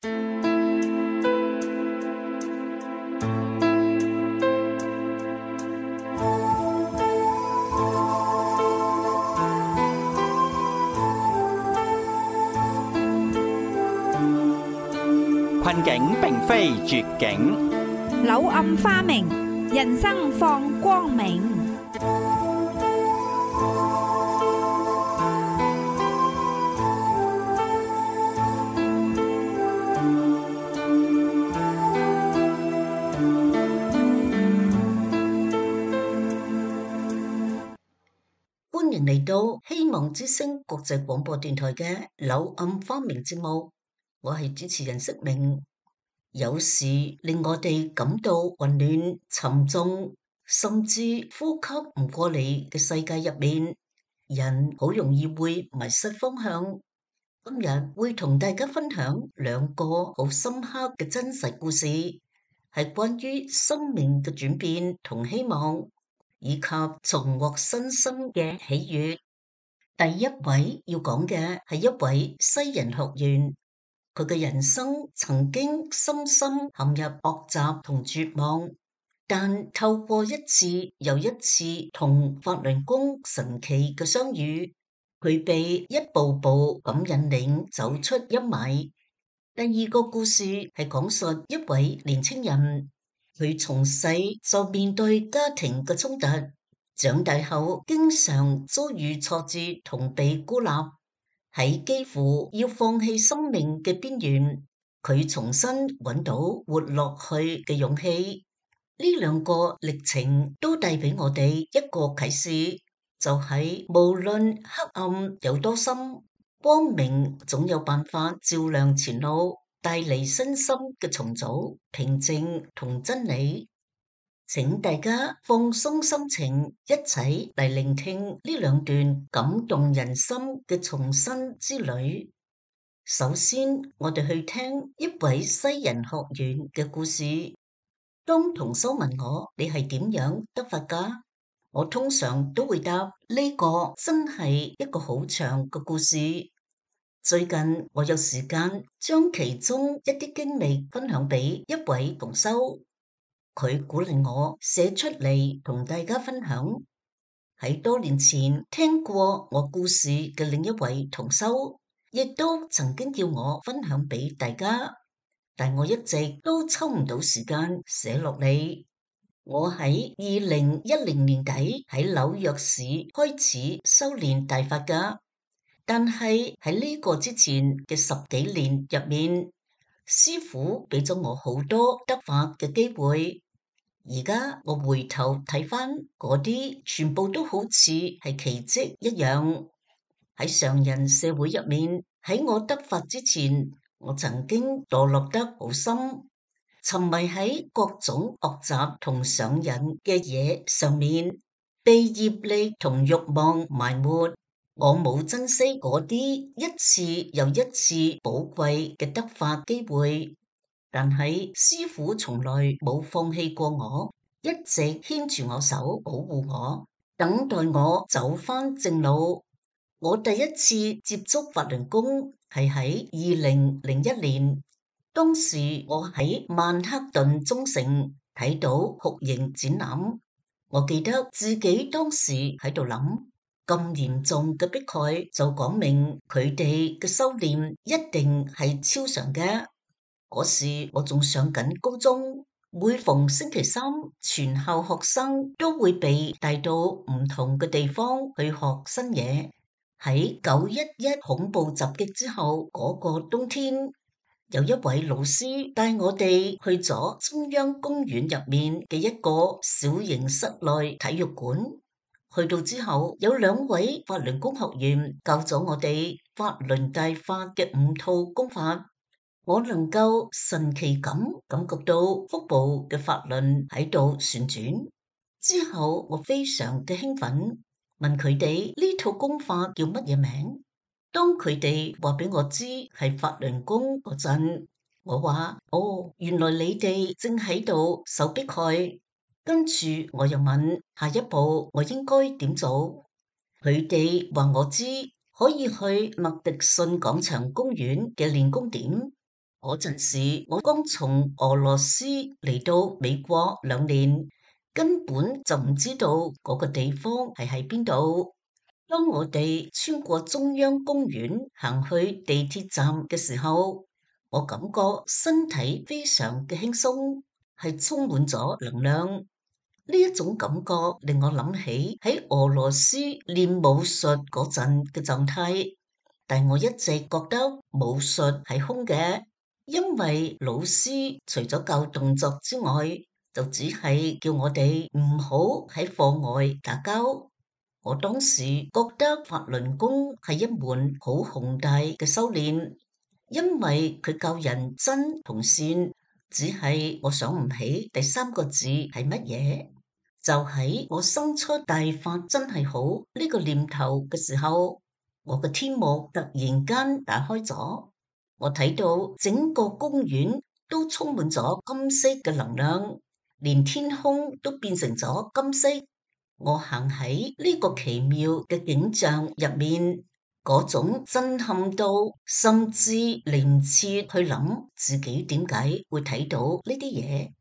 困境並非絕境，柳暗花明，人生放光明。歡迎嚟到希望之聲國際廣播電台嘅柳暗花明節目，我係主持人釋明。有時令我哋感到混亂、沉重，甚至呼吸唔過嚟嘅世界入面，人好容易會迷失方向。今日會同大家分享兩個好深刻嘅真實故事，係關於生命嘅轉變同希望，以及重獲新生嘅喜悅。第一位要講嘅係一位西人學員，佢嘅人生曾經深深陷入惡習同絕望，但透過一次又一次同法輪功神奇嘅相遇，佢被一步步咁引領走出陰霾。第二個故事係講述一位年輕人，佢從細就面對家庭嘅衝突，長大後經常遭遇挫折同被孤立，喺幾乎要放棄生命嘅邊緣，佢重新揾到活落去嘅勇氣。呢兩個歷程都帶俾我哋一個啟示，就係無論黑暗有多深，光明總有辦法照亮前路，帶嚟身心嘅重組、平靜同真理。請大家放鬆心情，一齊嚟聆聽呢兩段感動人心嘅重生之旅。首先，我哋去聽一位西人學員嘅故事。當同修問我你係點樣得法㗎？我通常都會答呢個真係一個好長嘅故事。最近我有時間將其中一啲經歷分享俾一位同修。佢鼓勵我寫出嚟同大家分享。喺多年前聽過我故事嘅另一位同修，亦都曾經叫我分享俾大家，但我一直都抽唔到時間寫落嚟。我喺2010年底喺紐約市開始修煉大法㗎，但係喺呢個之前嘅10幾年入面，師父俾咗我好多得法嘅機會。而家我回頭睇返嗰啲，全部都好似係奇蹟一樣。喺常人社會入面，喺我得法之前，我曾經墮落得好深，沉迷喺各種惡習同上癮嘅嘢上面，被業力同慾望埋沒。我冇珍惜嗰啲一次又一次寶貴嘅得法機會。但係師父從來冇放棄過我，一直牽住我手，保護我，等待我走返正路。我第一次接觸法輪功係喺2001年，當時我喺曼克頓中城睇到酷刑展覽，我記得自己當時喺度諗，咁嚴重嘅迫害就講明佢哋嘅修煉一定係超常嘅。嗰時我仲上緊高中，每逢星期三，全校學生都會被帶到唔同嘅地方去學新嘢。喺911恐怖襲擊之後嗰個冬天，有一位老師帶我哋去咗中央公園入面嘅一個小型室內體育館。去到之後，有2位法輪功學員教咗我哋法輪大法嘅5套功法。我能夠神奇咁感覺到腹部嘅法輪喺度旋轉。之後我非常嘅興奮，問佢哋呢套功法叫乜嘢名。當佢哋話俾我知係法輪功嗰陣，我話：哦，原來你哋正喺度受迫害。跟住我又問下一步我應該點做。佢哋話我知可以去麥迪遜廣場公園嘅練功點。嗰陣時，我剛從俄羅斯嚟到美國2年，根本就唔知道嗰個地方係喺邊度。當我哋穿過中央公園行去地鐵站嘅時候，我感覺身體非常嘅輕鬆，係充滿咗能量。呢一種感覺令我諗起喺俄羅斯練武術嗰陣嘅狀態，但我一直覺得武術係空嘅，因為老師除咗教動作之外，就只係叫我哋唔好喺課外打交。我當時覺得法輪功係一門好宏大嘅修煉，因為佢教人真同善，只係我想唔起第3個字係乜嘢。就喺我生出大法真係好呢個念頭嘅時候，我嘅天幕突然間打開咗，我睇到整個公園都充滿咗金色嘅能量，連天空都變成咗金色。我行喺呢個奇妙嘅景象入面，嗰種震撼到，甚至嚟唔切去諗自己點解會睇到呢啲嘢。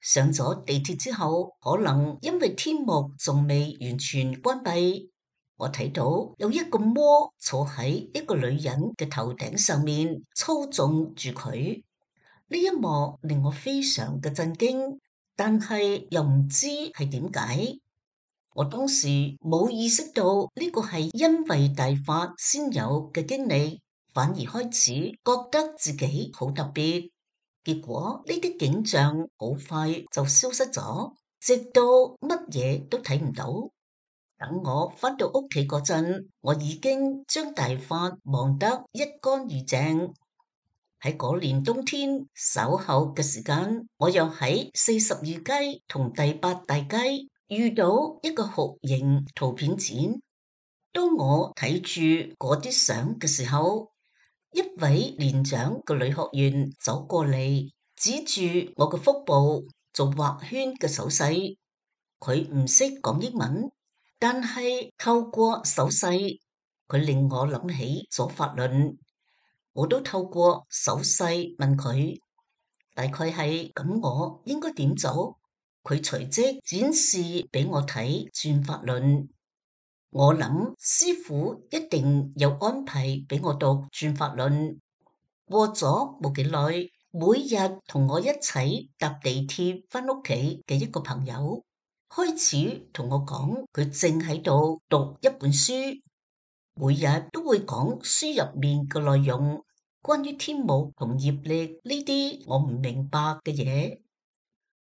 上咗地鐵之後，可能因為天幕仲未完全關閉，我睇到有一個魔坐喺一個女人嘅頭頂上面操縱住佢。呢一幕令我非常嘅震驚，但係又唔知係點解。我當時冇意識到呢個係因為大法先有嘅經歷，反而開始覺得自己好特別。結果呢啲景象好快就消失咗，直到乜嘢都睇唔到。等我返到屋企嗰陣，我已經將大法忘得一乾二淨。喺嗰年冬天稍後嘅時間，我又喺42街同第8大街遇到一個酷刑圖片展。當我睇住嗰啲相嘅時候，一位年長嘅女學員走過嚟，指住我嘅腹部做畫圈嘅手勢。佢唔識講英文，但係透過手勢，佢令我諗起咗法輪。我都透過手勢問佢，大概係咁，我應該點做？佢隨即展示俾我睇轉法輪。我諗師傅一定有安排俾我讀轉法輪。過咗冇幾耐，每日同我一齊搭地鐵返屋企嘅一個朋友開始同我講，佢正喺度讀一本書，每日都會講書入面嘅內容，關於天目同業力呢啲我唔明白嘅嘢。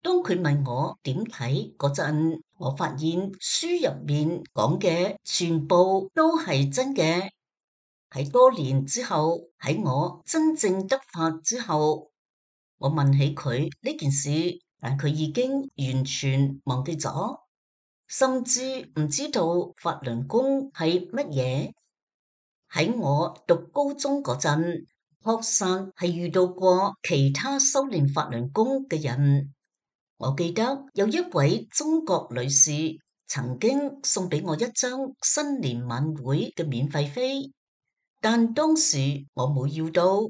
當佢問我點睇嗰陣，我發現書入面講嘅全部都係真嘅。喺多年之後，喺我真正得法之後，我問起佢呢件事，但佢已經完全忘記咗，甚至唔知道法輪功係乜嘢。喺我讀高中嗰陣，確實係遇到過其他修煉法輪功嘅人。我記得有一位中國女士曾經送俾我一張新年晚會嘅免費飛，但當時我冇要到。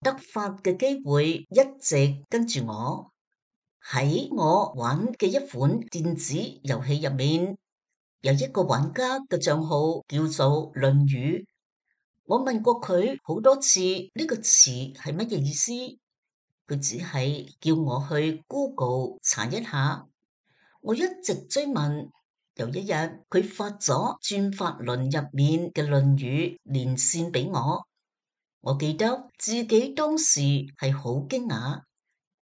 得法嘅機會一直跟住我。喺我玩嘅一款電子遊戲入面，有一個玩家嘅賬號叫做論語。我問過佢好多次呢個詞係乜嘢意思，佢只係叫我去 Google 查一下。我一直追問，有一日佢發咗轉法輪入面嘅論語連線俾我。我記得自己當時係好驚訝，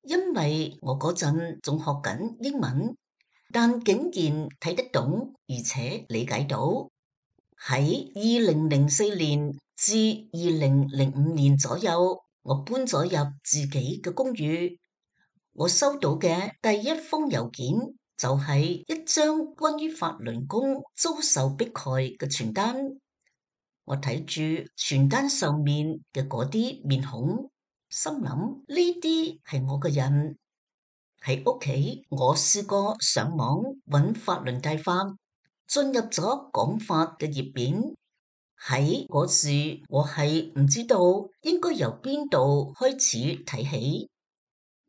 因為我嗰陣仲學緊英文，但竟然睇得懂而且理解到。喺2004年至2005年左右，我搬咗入自己嘅公寓。我收到嘅第一封郵件就係一張關於法輪功遭受迫害嘅傳單。我睇住傳單上面嘅嗰啲面孔，心諗呢啲係我嘅人。喺屋企，我試過上網揾法輪大法，進入咗講法嘅頁面，喺嗰時，我係唔知道應該由邊度開始睇起。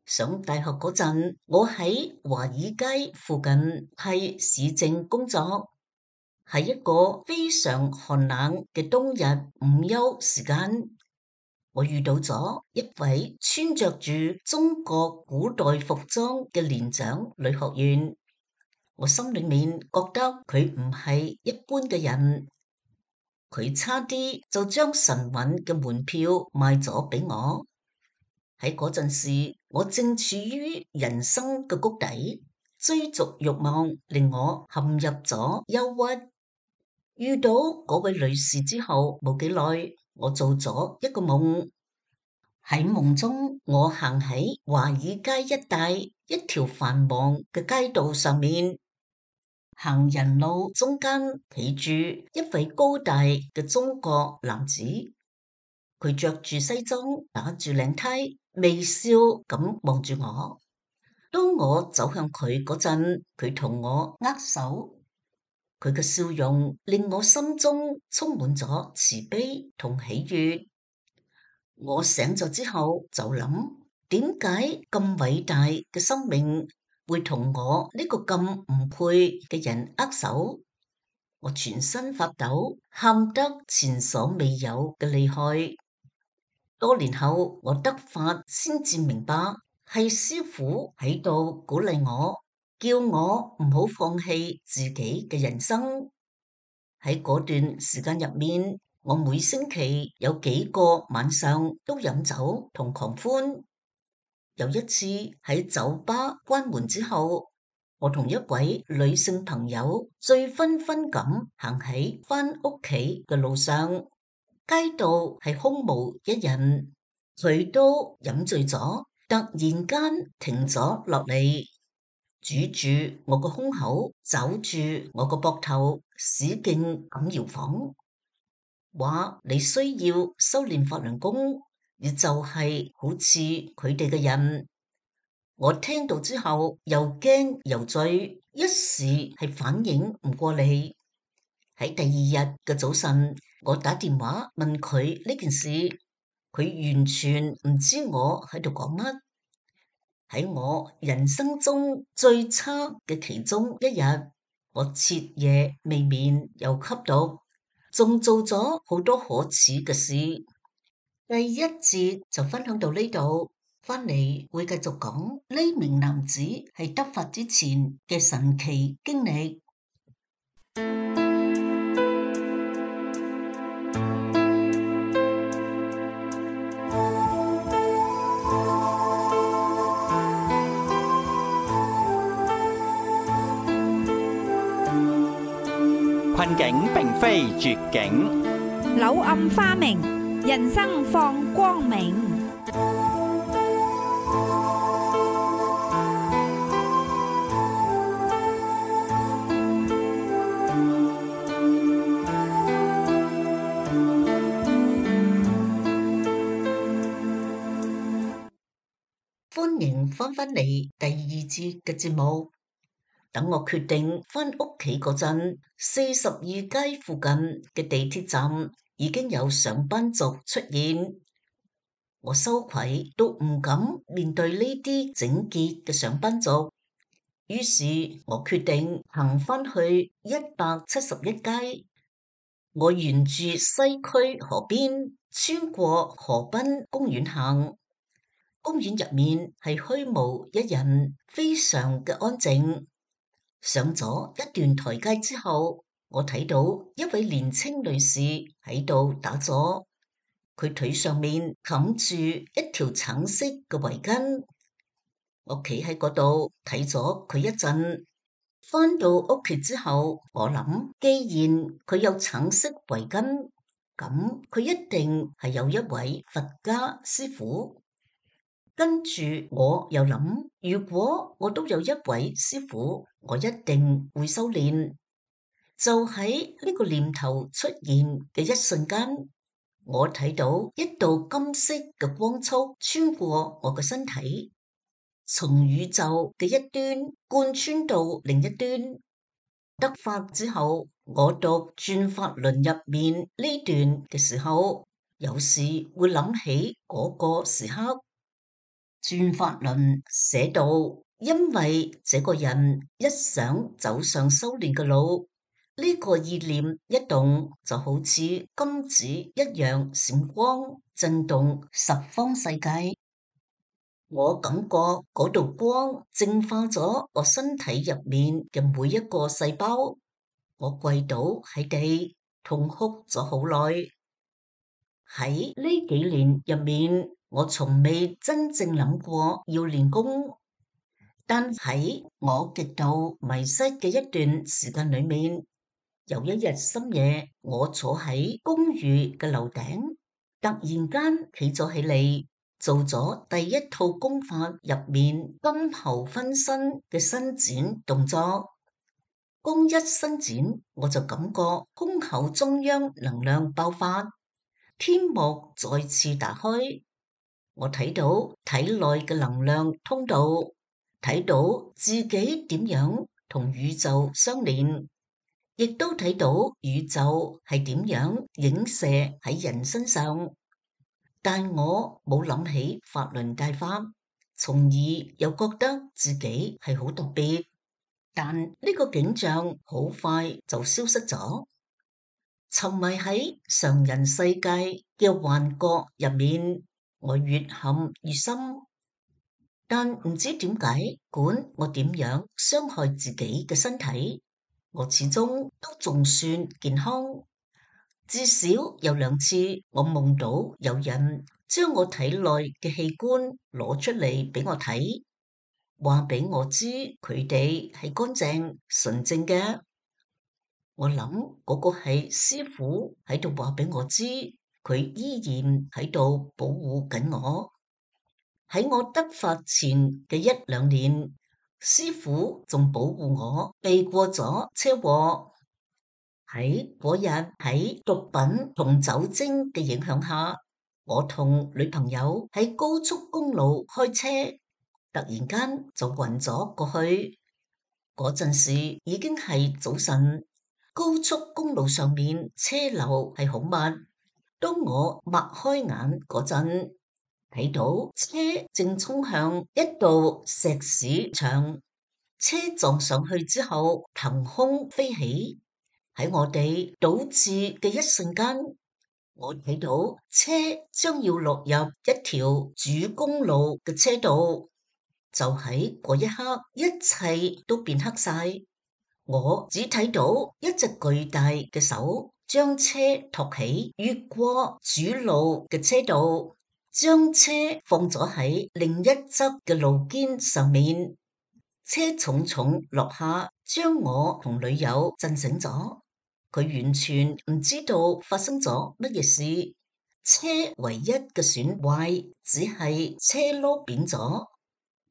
上大學嗰陣，我喺華爾街附近係市政工作，係一個非常寒冷嘅冬日午休時間。我遇到咗一位穿着住中國古代服裝嘅年長女學員，我心裏面覺得佢唔係一般嘅人，佢差啲就將神韻嘅門票賣咗俾我。喺嗰陣時，我正處於人生嘅谷底，追逐慾望令我陷入咗憂鬱。遇到嗰位女士之後冇幾耐，我做咗一個夢。喺夢中，我行喺華爾街一帶一條繁忙嘅街道上面，行人路中間企住一位高大嘅中國男子，佢着住西裝，打住領呔，微笑咁望住我。當我走向佢嗰陣，佢同我握手，佢嘅笑容令我心中充滿咗慈悲同喜悅。我醒咗之後就諗，點解咁偉大嘅生命會同我呢個咁唔配嘅人握手？我全身發抖，喊得前所未有嘅厲害。多年後，我得法先至明白，係師父喺度鼓勵我，叫我唔好放棄自己嘅人生。喺嗰段時間入面，我每星期有幾個晚上都飲酒同狂歡。有一次喺酒吧關門之後，我同一位女性朋友醉醺醺咁行喺返屋企嘅路上，街道係空無一人，佢都飲醉咗，突然間停咗落嚟，拄住我個胸口，抓住我個膊頭，使勁咁搖晃，話你需要修煉法輪功，而就係好似佢哋嘅人。我聽到之後又驚又醉，一時係反應唔過嚟。喺第二日嘅早晨，我打電話問佢呢件事，佢完全唔知我喺度講乜。喺我人生中最差嘅其中一日，我徹夜未眠又吸毒，仲做咗好多可恥嘅事。第一節就分享到呢度，翻嚟會繼續講呢名男子係得法之前嘅神奇經歷。困境並非絕境，柳暗花明，人生放光明。歡迎翻返嚟第二節嘅節目。等我決定返屋企嗰陣，42街附近嘅地鐵站已經有上班族出現。我羞愧都唔敢面對呢啲整潔嘅上班族，於是我決定行返去171街。我沿住西區河邊，穿過河濱公園行。公園入面係虛無一人，非常嘅安靜。上咗一段台階之後，我睇到一位年輕女士喺度打坐，佢腿上面冚住一條橙色嘅圍巾。我企喺嗰度睇咗佢一陣，返到屋企之後，我諗既然佢有橙色圍巾，咁佢一定係有一位佛家師父。跟住我又諗，如果我都有一位師父，我一定會修煉。就喺呢個念頭出現嘅一瞬間，我睇到一道金色嘅光束穿過我嘅身體，從宇宙嘅一端貫穿到另一端。得法之後，我讀轉法輪入面呢段嘅時候，有時會諗起嗰個時刻。轉法輪寫到，因為這個人一想走上修煉嘅路，呢個意念一動，就好似金子一樣閃光，震動十方世界。我感覺嗰道光淨化咗我身體入面嘅每一個細胞。我跪倒喺地，痛哭咗好耐。喺呢幾年入面，我從未真正諗過要練功，但喺我極度迷失嘅一段時間裏面，有一日深夜，我坐喺公寓嘅樓頂，突然間企咗起嚟，做咗第一套功法入面金喉分身嘅伸展動作。功一伸展，我就感覺胸口中央能量爆發，天幕再次打開，我睇到體內嘅能量通道，睇到自己點樣同宇宙相連，亦都睇到宇宙係點樣影射喺人身上。但我冇諗起法輪大法，從而又覺得自己係好特別。但呢個景象好快就消失咗，沉迷喺常人世界嘅幻覺入面，我越陷越深。但唔知點解，管我點樣傷害自己嘅身體，我始終都仲算健康。至少有2次，我夢到有人將我體內嘅器官攞出嚟俾我睇。話俾我知佢哋係乾淨純正嘅，我諗嗰個係師父喺度話俾我知，佢依然喺度保護緊我。喺我得法前嘅1-2年，師父仲保護我避過咗車禍。喺嗰日喺毒品同酒精嘅影響下，我同女朋友喺高速公路開車。突然間就暈咗過去，嗰陣時已經係早晨，高速公路上面車流係好密。當我擘開眼嗰陣，睇到車正衝向一道石屎牆，車撞上去之後騰空飛起。喺我哋倒置嘅一瞬間，我睇到車將要落入一條主公路嘅車道。就喺嗰一刻，一切都變黑晒。我只睇到一隻巨大嘅手將車托起，越過主路嘅車道，將車放咗喺另一側嘅路肩上面。車重重落下，將我同女友震醒咗。佢完全唔知道發生咗乜嘢事。車唯一嘅損壞只係車轆扁咗。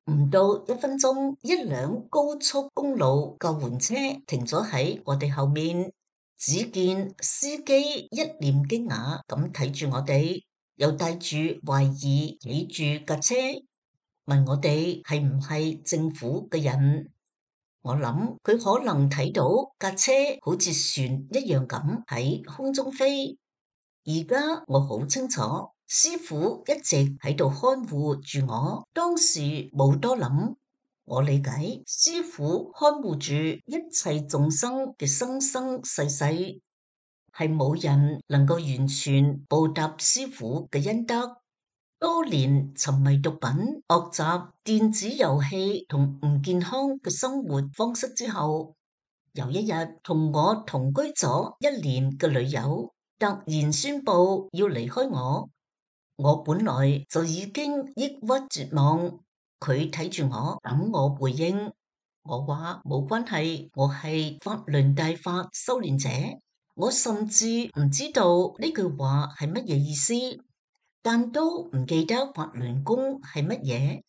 唔到1分鐘，一輛高速公路救援車停咗喺我哋後面，只見司機一臉驚訝咁睇住我哋，又帶住懷疑睇住架車，問我哋係唔係政府嘅人。我諗佢可能睇到架車好似船一樣咁喺空中飛。而家我好清楚，師父一直喺度看護住我，當時冇多諗。我理解師父看護住一切眾生嘅生生世世，係冇人能夠完全報答師父嘅恩德。多年沉迷毒品、惡習、電子遊戲同唔健康嘅生活方式之後，有一日同我同居咗1年嘅女友突然宣布要離開我。我本來就已經抑鬱絕望，佢睇住我等我回應。我話冇關係，我係法輪大法修煉者。我甚至唔知道呢句話係乜嘢意思，但都唔記得法輪功係乜嘢。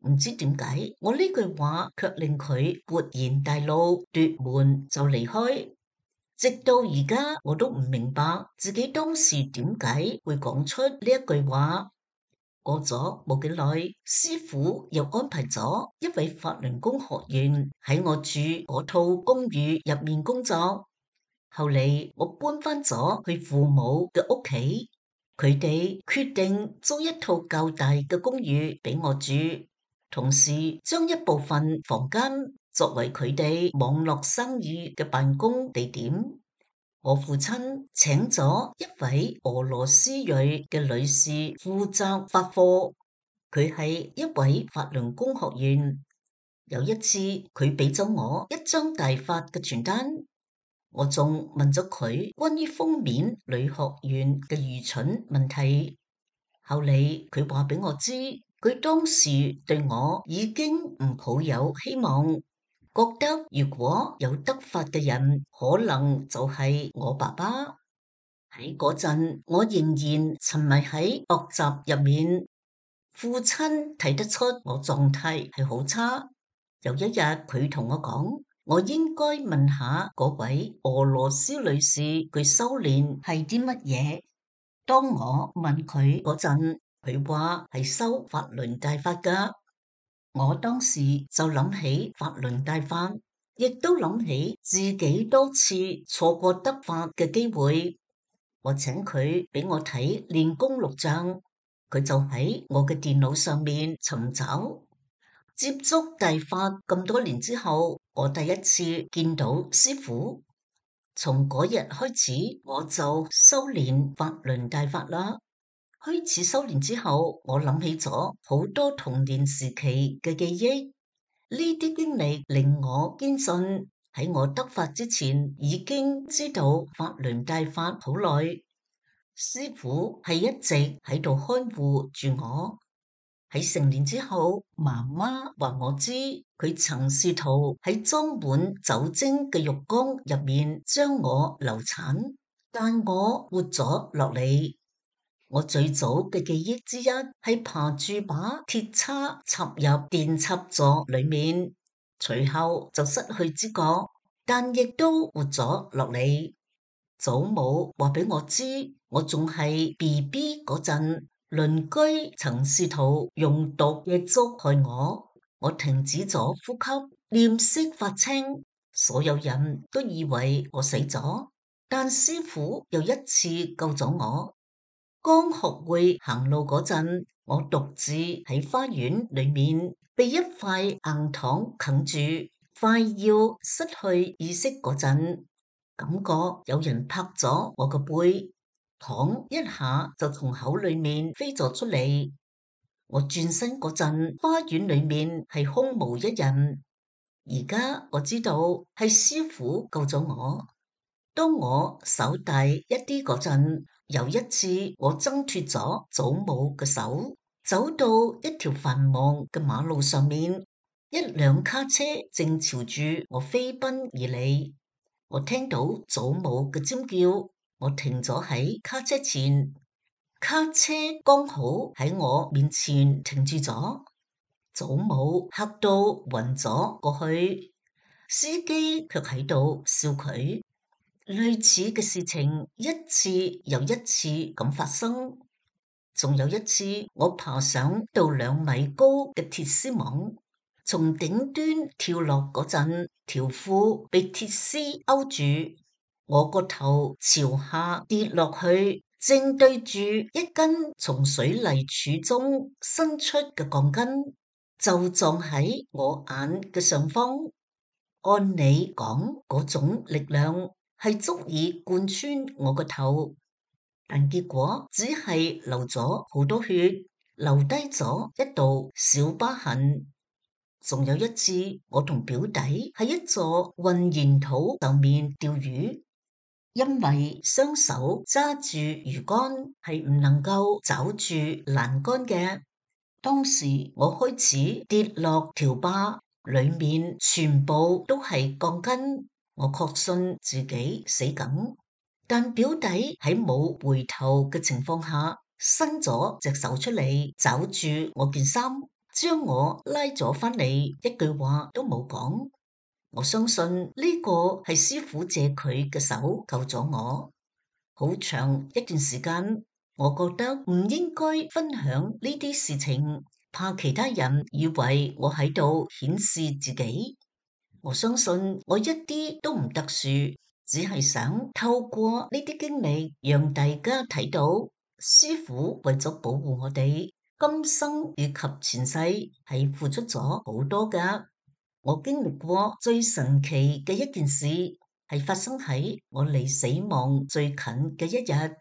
唔知點解我呢句話卻令佢勃然大怒，奪門就離開。直到而家我都唔明白自己當時點解會講出呢一句話。過咗冇幾耐，師父又安排咗一位法輪功學員喺我住嗰套公寓入面工作。後嚟我搬返咗去父母嘅屋企，佢哋決定租一套較大嘅公寓俾我住，同時將一部分房間作為佢哋網絡生意嘅辦公地點。我父親請咗一位俄羅斯裔嘅女士負責發貨，佢係一位法輪功學員。有一次，佢俾咗我一張大發嘅傳單，我仲問咗佢關於封面女學員嘅愚蠢問題。後嚟佢話俾我知，佢當時對我已經唔抱有希望，覺得如果有得法嘅人，可能就係我爸爸。喺嗰陣，我仍然沉迷喺學習入面，父親睇得出我狀態係好差。有一日，佢同我講，我應該問下嗰位俄羅斯女士，佢修煉係啲乜嘢。當我問佢嗰陣，佢話係修法輪大法㗎。我當時就諗起法輪大法，亦都諗起自己多次錯過得法嘅機會。我請佢俾我睇練功錄像，佢就喺我嘅電腦上面尋找。接觸大法咁多年之後，我第一次見到師父。從嗰日開始，我就修煉法輪大法啦。開始修煉之後，我諗起咗好多童年時期嘅記憶。呢啲經歷令我堅信，喺我得法之前，已經知道法輪大法好耐。師父係一直喺度看護住我。喺成年之後，媽媽話我知，佢曾試圖喺裝滿酒精嘅浴缸入面將我流產，但我活咗落嚟。我最早嘅記憶之一係爬住把鐵叉插入電插座裏面，隨後就失去知覺，但亦都活咗落嚟。祖母話俾我知，我仲係 BB 嗰陣，鄰居曾試圖用毒嘅粥害我，我停止咗呼吸，臉色發青，所有人都以為我死咗，但師父又一次救咗我。剛學會行路嗰陣，我獨自喺花園裏面被一塊硬糖啃住，快要失去意識嗰陣，感覺有人拍咗我個背，糖一下就從口裏面飛咗出嚟。我轉身嗰陣，花園裏面係空無一人。而家我知道係師父救咗我。當我手大一啲嗰陣，有一次我掙脫咗祖母嘅手，走到一條繁忙嘅馬路上面，一輛卡車正朝住我飛奔而嚟。我聽到祖母嘅尖叫，我停咗喺卡車前，卡車剛好喺我面前停住咗。祖母嚇到暈咗過去，司機卻喺度笑佢。類似嘅事情一次又一次咁發生。仲有一次，我爬上到2米高嘅鐵絲網，從頂端跳落嗰陣，條褲被鐵絲勾住，我個頭朝下跌落去，正對住一根從水泥柱中伸出嘅鋼筋，就撞喺我眼嘅上方。按理講，嗰種力量係足以貫穿我個頭，但結果只係流咗好多血，留低咗一道小疤痕。仲有一次，我同表弟喺一座混凝土上面釣魚，因為雙手揸住魚竿係唔能夠抓住欄杆嘅。當時我開始跌落條壩，裏面全部都係鋼筋。我確信自己死緊，但表弟喺冇回頭嘅情況下，伸咗隻手出嚟，抓住我件衫，將我拉咗返嚟，一句話都冇講。我相信呢個係師父借佢嘅手救咗我。好長一段時間，我覺得唔應該分享呢啲事情，怕其他人以為我喺度顯示自己。我相信我一啲都唔特殊，只係想透過呢啲經歷，讓大家睇到師父為咗保護我哋，今生以及前世係付出咗好多㗎。我經歷過最神奇嘅一件事，係發生喺我離死亡最近嘅一日。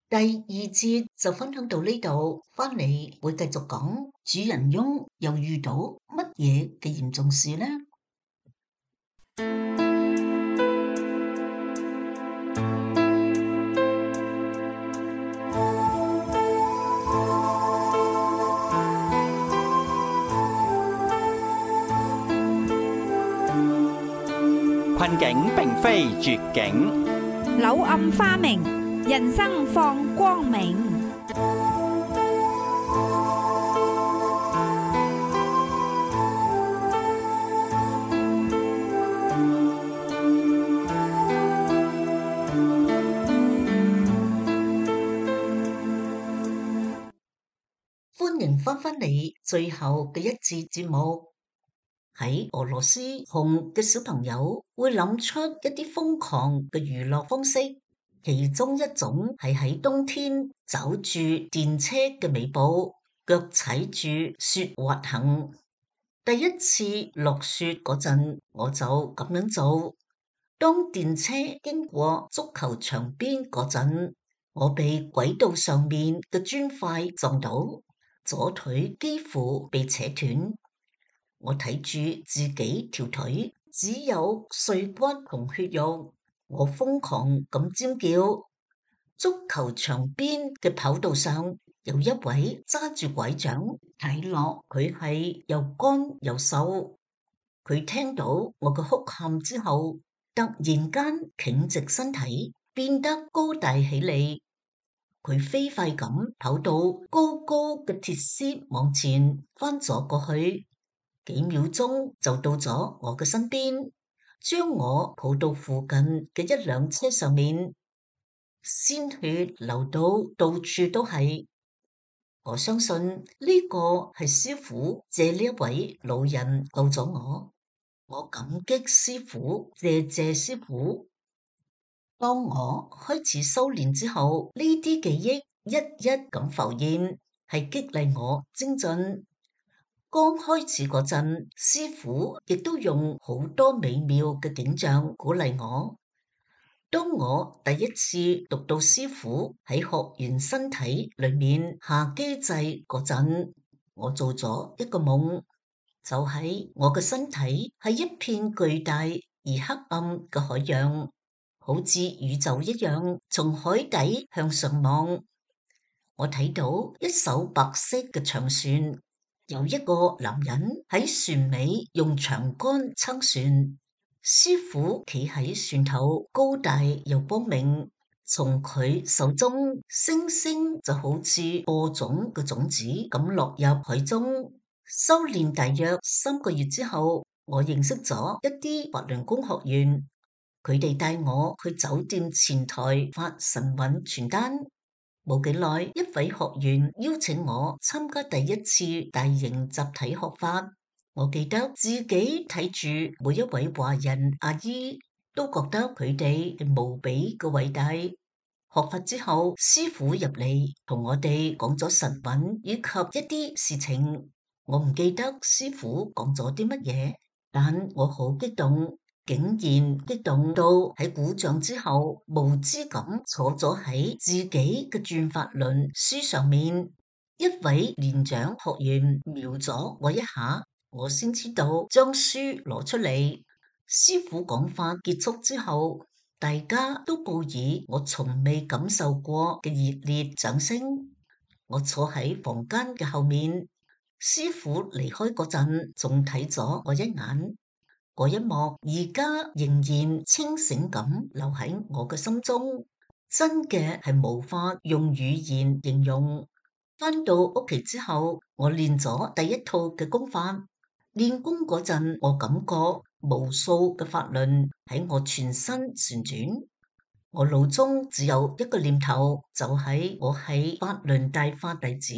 第二節就分享到呢度，返嚟會繼續講主人翁又遇到乜嘢嘅嚴重事呢？困境並非絕境，柳暗花明，人生放光明。歡迎返嚟最後嘅一節節目。喺俄羅斯，窮嘅小朋友會諗出一啲瘋狂嘅娛樂方式，其中一種係喺冬天走住電車嘅尾部，腳踩住雪滑行。第一次落雪嗰陣，我就咁樣做。當電車經過足球場邊嗰陣，我被軌道上面嘅磚塊撞到，左腿幾乎被扯斷。我睇住自己條腿只有碎骨同血肉，我瘋狂咁尖叫。足球場邊嘅跑道上有一位揸住拐杖，睇落佢係又乾又瘦。佢聽到我嘅哭喊之後，突然間挺直身體，變得高大起嚟。佢飛快咁跑到高高嘅鐵絲網前，翻咗過去。幾秒鐘就到咗我嘅身邊，將我抱到附近嘅一輛車上面，鮮血流到到處都係。我相信呢個係師父借呢一位老人救咗我，我感激師父，謝謝師父。當我開始修煉之後，呢啲記憶一一咁浮現，係激勵我精進。剛開始嗰陣，師父亦都用好多美妙嘅景象鼓勵我。當我第一次讀到師父喺學員身體裏面下機制嗰陣，我做咗一個夢，就係我嘅身體係一片巨大而黑暗嘅海洋，好似宇宙一樣，從海底向上望。我睇到一艘白色嘅長船。有一個男人喺船尾用長杆撐船，師父企喺船頭，高大又光明。從佢手中，星星就好似播種嘅種子咁落入海中。修煉大約3個月之後，我認識咗一啲法輪功學員，佢哋帶我去酒店前台發神韻傳單。冇幾耐，一位學員邀請我參加第一次大型集體學法。我記得自己睇住每一位華人阿姨，都覺得佢哋係無比嘅偉大。學法之後，師父入嚟同我哋講咗神韻以及一啲事情。我唔記得師父講咗啲乜嘢，但我好激動。竟然激動到喺鼓掌之後，無知咁坐咗喺自己嘅轉法輪書上面。一位年長學員瞄咗我一下，我先知道將書攞出嚟。師父講法結束之後，大家都報以我從未感受過嘅熱烈掌聲。我坐喺房間嘅後面，師父離開嗰陣，仲睇咗我一眼。嗰一幕而家仍然清醒咁留喺我嘅心中，真嘅係無法用語言形容。返到屋企之後，我練咗第一套嘅功法。練功嗰陣，我感覺無數嘅法輪喺我全身旋轉。我腦中只有一個念頭，就係我係法輪大法弟子。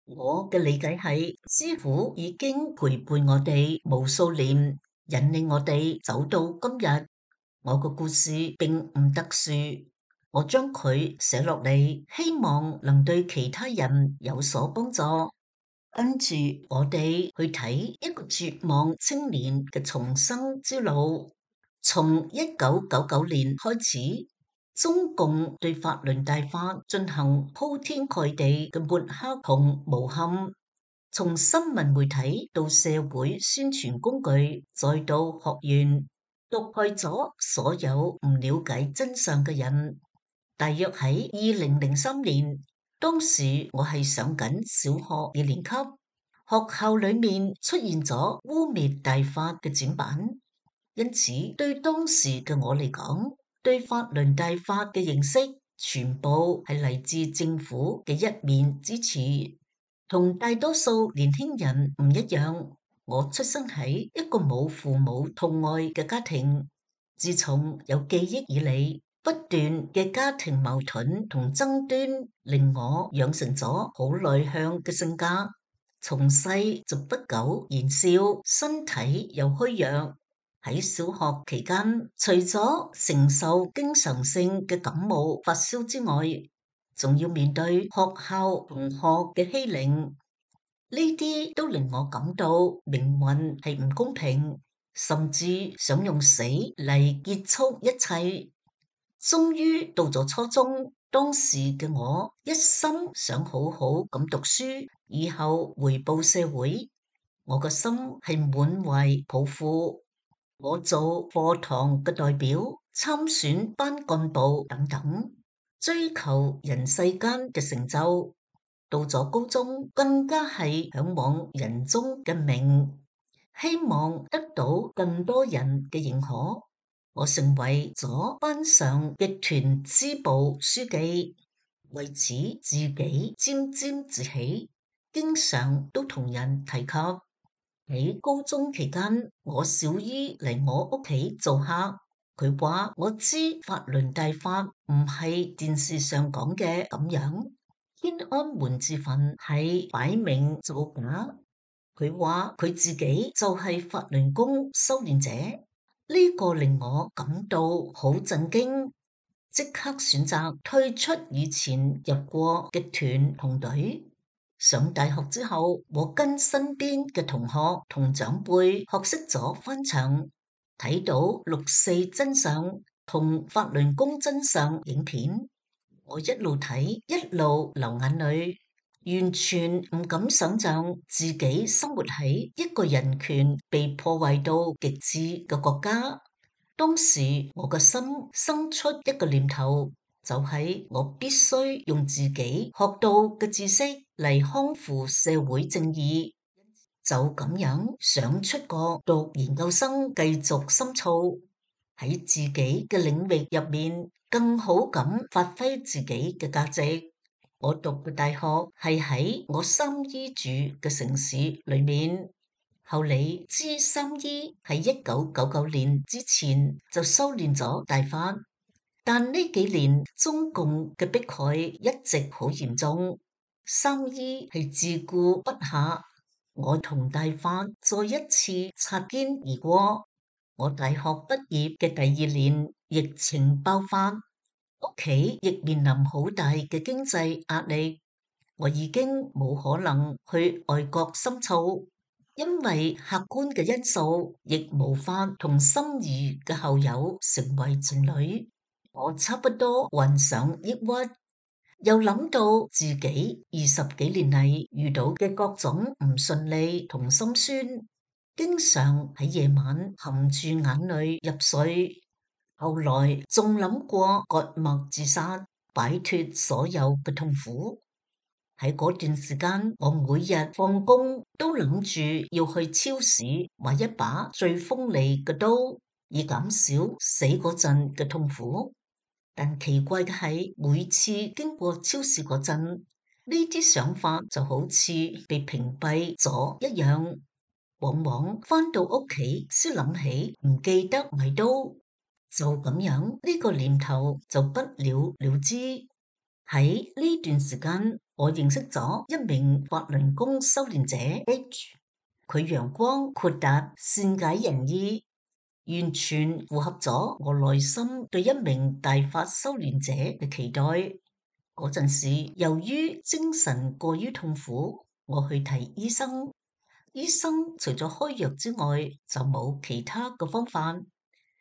我嘅理解係，師父已經陪伴我哋無數年，引領我哋走到今日。我個故事並唔特殊，我將佢寫落嚟，希望能對其他人有所幫助。跟住我哋去睇一個絕望青年嘅重生之路。從1999年開始，中共對法輪大法進行鋪天蓋地嘅抹黑同誣陷，從新聞媒體到社會宣傳工具，再到學院，毒害咗所有唔了解真相嘅人。大約喺2003年，當時我係上緊小學2年級，學校裏面出現咗污衊大法嘅展板，因此對當時嘅我嚟講，對法輪大法嘅認識全部係嚟自政府嘅一面之詞。同大多數年輕人唔一樣，我出生喺一個冇父母痛愛嘅家庭。自從有記憶以嚟，不斷嘅家庭矛盾同爭端令我養成咗好內向嘅性格。從細就不苟言笑，身體又虛弱。喺小學期間，除咗承受經常性嘅感冒發燒之外，仲要面對學校同學嘅欺凌，呢啲都令我感到命運係唔公平，甚至想用死嚟結束一切。終於到咗初中，當時嘅我一心想好好咁讀書，以後回報社會。我個心係滿懷抱負，我做課堂嘅代表，參選班幹部等等，追求人世間嘅成就。到咗高中，更加係嚮往人中嘅名，希望得到更多人嘅認可。我成為咗班上嘅團支部書記，為此自己沾沾自喜，經常都同人提及。喺高中期間，我小姨嚟我屋企做客，佢話我知法輪大法唔係電視上講嘅咁樣，天安門自焚係擺明造假。佢話佢自己就係法輪功修煉者，呢個令我感到好震驚，即刻選擇退出以前入過嘅團同隊。上大學之後，我跟身邊嘅同學同長輩學識咗翻牆，睇到六四真相同法輪功真相影片，我一路睇一路流眼淚，完全唔敢想象自己生活喺一個人權被破壞到極致嘅國家。當時我個心生出一個念頭，就係我必須用自己學到嘅知識嚟康復社會正義，就咁樣想出國讀研究生，繼續深造喺自己嘅領域入面，更好咁發揮自己嘅價值。我讀嘅大學係喺我三姨住嘅城市裏面。後嚟知三姨喺1999年之前就修煉咗大法，但呢幾年中共嘅迫害一直好嚴重，三姨係自顧不暇。我同大法再一次擦肩而過。我大學畢業嘅第2年，疫情爆發，屋企亦面臨好大嘅經濟壓力，我已經冇可能去外國深造。因為客觀嘅因素，亦無法同心儀嘅校友成為情侶，我差不多患上抑鬱，又諗到自己20幾年嚟遇到嘅各種唔順利同心酸，經常喺夜晚含住眼淚入睡。後來仲諗過割脈自殺，擺脫所有嘅痛苦。喺嗰段時間，我每日放工都諗住要去超市買一把最鋒利嘅刀，以減少死嗰陣嘅痛苦。但奇怪嘅係，每次經過超市嗰陣，呢啲想法就好似被屏蔽咗一樣。往往返到屋企先諗起唔記得買刀，就咁樣呢個念頭就不了了之。喺呢段時間，我認識咗一名法輪功修煉者 H，佢陽光豁達，善解人意。完全符合咗我內心對一名大法修練者嘅期待。嗰陣時，由於精神過於痛苦，我去睇醫生。醫生除咗開藥之外，就冇其他嘅方法。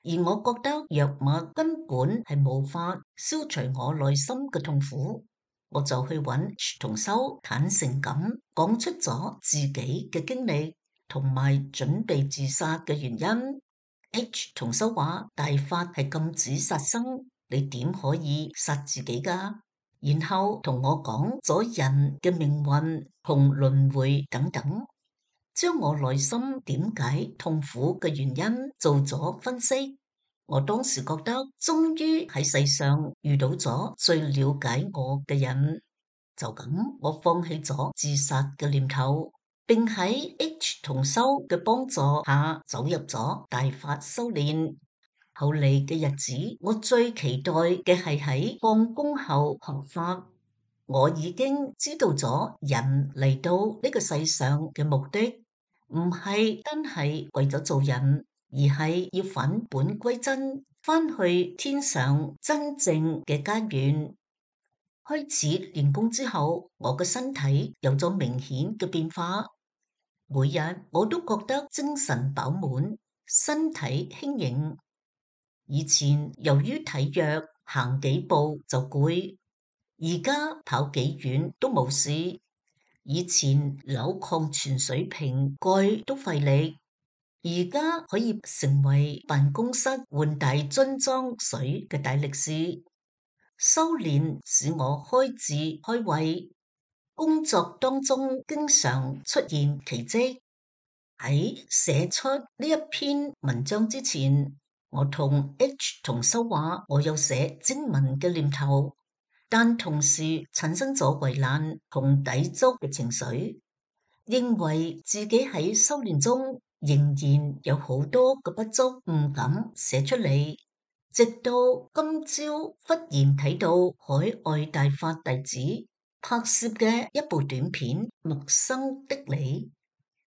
而我覺得藥物根本係無法消除我內心嘅痛苦，我就去揾同修坦誠咁講出咗自己嘅經歷同埋準備自殺嘅原因。H 同修話大法係禁止殺生，你點可以殺自己㗎？然後同我講咗人嘅命運同輪迴等等，將我內心點解痛苦嘅原因做咗分析。我當時覺得終於喺世上遇到咗最了解我嘅人，就咁我放棄咗自殺嘅念頭。並喺 H 同修嘅幫助下走入咗大法修煉。後嚟嘅日子，我最期待嘅係喺放工後學法。我已經知道咗人嚟到呢個世上嘅目的，唔係單係為咗做人，而係要返本歸真，返去天上真正嘅家園。開始練功之後，我嘅身體有咗明顯嘅變化。每日我都覺得精神飽滿，身體輕盈。以前由於體弱，行幾步就攰，而家跑幾遠都冇事。以前扭礦泉水瓶蓋都費力，而家可以成為辦公室換大樽裝水嘅大力士。修煉使我開智開慧。工作當中經常出現奇蹟。喺寫出呢一篇文章之前，我同 H 同修話我有寫經文嘅念頭，但同時產生咗為難同抵觸嘅情緒，認為自己喺修煉中仍然有好多嘅不足，唔敢寫出嚟。直到今朝忽然睇到海外大法弟子拍攝嘅一部短片《陌生的你》，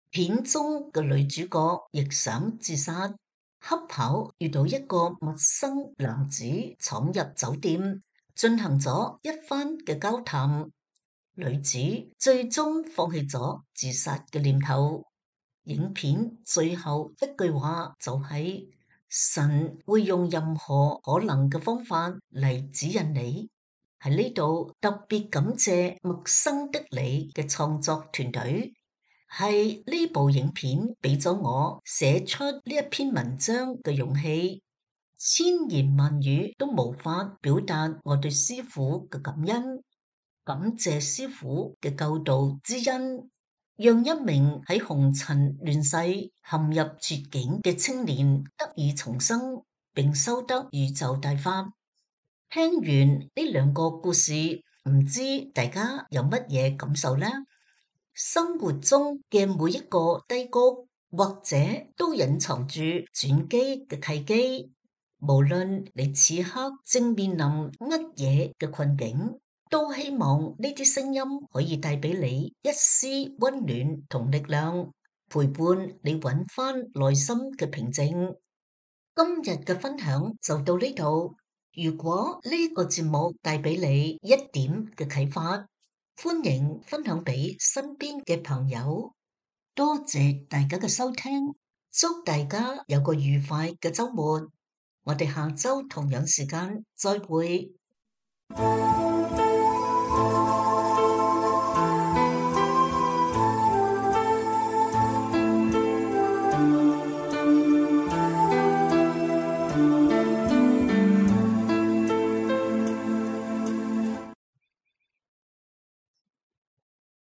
片中嘅女主角亦想自殺，恰巧遇到一個陌生男子闖入酒店，進行咗一番嘅交談。女子最終放棄咗自殺嘅念頭。影片最後一句話就係：神會用任何可能嘅方法嚟指引你。喺呢度特別感謝陌生的你嘅創作團隊，係呢部影片俾咗我寫出呢一篇文章嘅勇氣，千言萬語都無法表達我對師父嘅感恩。感謝師父嘅救度之恩，讓一名喺紅塵亂世陷入絕境嘅青年得以重生，並修得宇宙大法。聽完呢兩個故事，唔知大家有乜嘢感受呢？生活中嘅每一個低谷，或者都隱藏住轉機嘅契機。無論你此刻正面臨乜嘢嘅困境，都希望呢啲聲音可以帶俾你一絲溫暖同力量，陪伴你揾翻內心嘅平靜。今日嘅分享就到呢度。如果呢個節目帶俾你一點嘅啟發，歡迎分享俾身邊嘅朋友。多謝大家嘅收聽，祝大家有個愉快嘅週末。我哋下週同樣時間再會。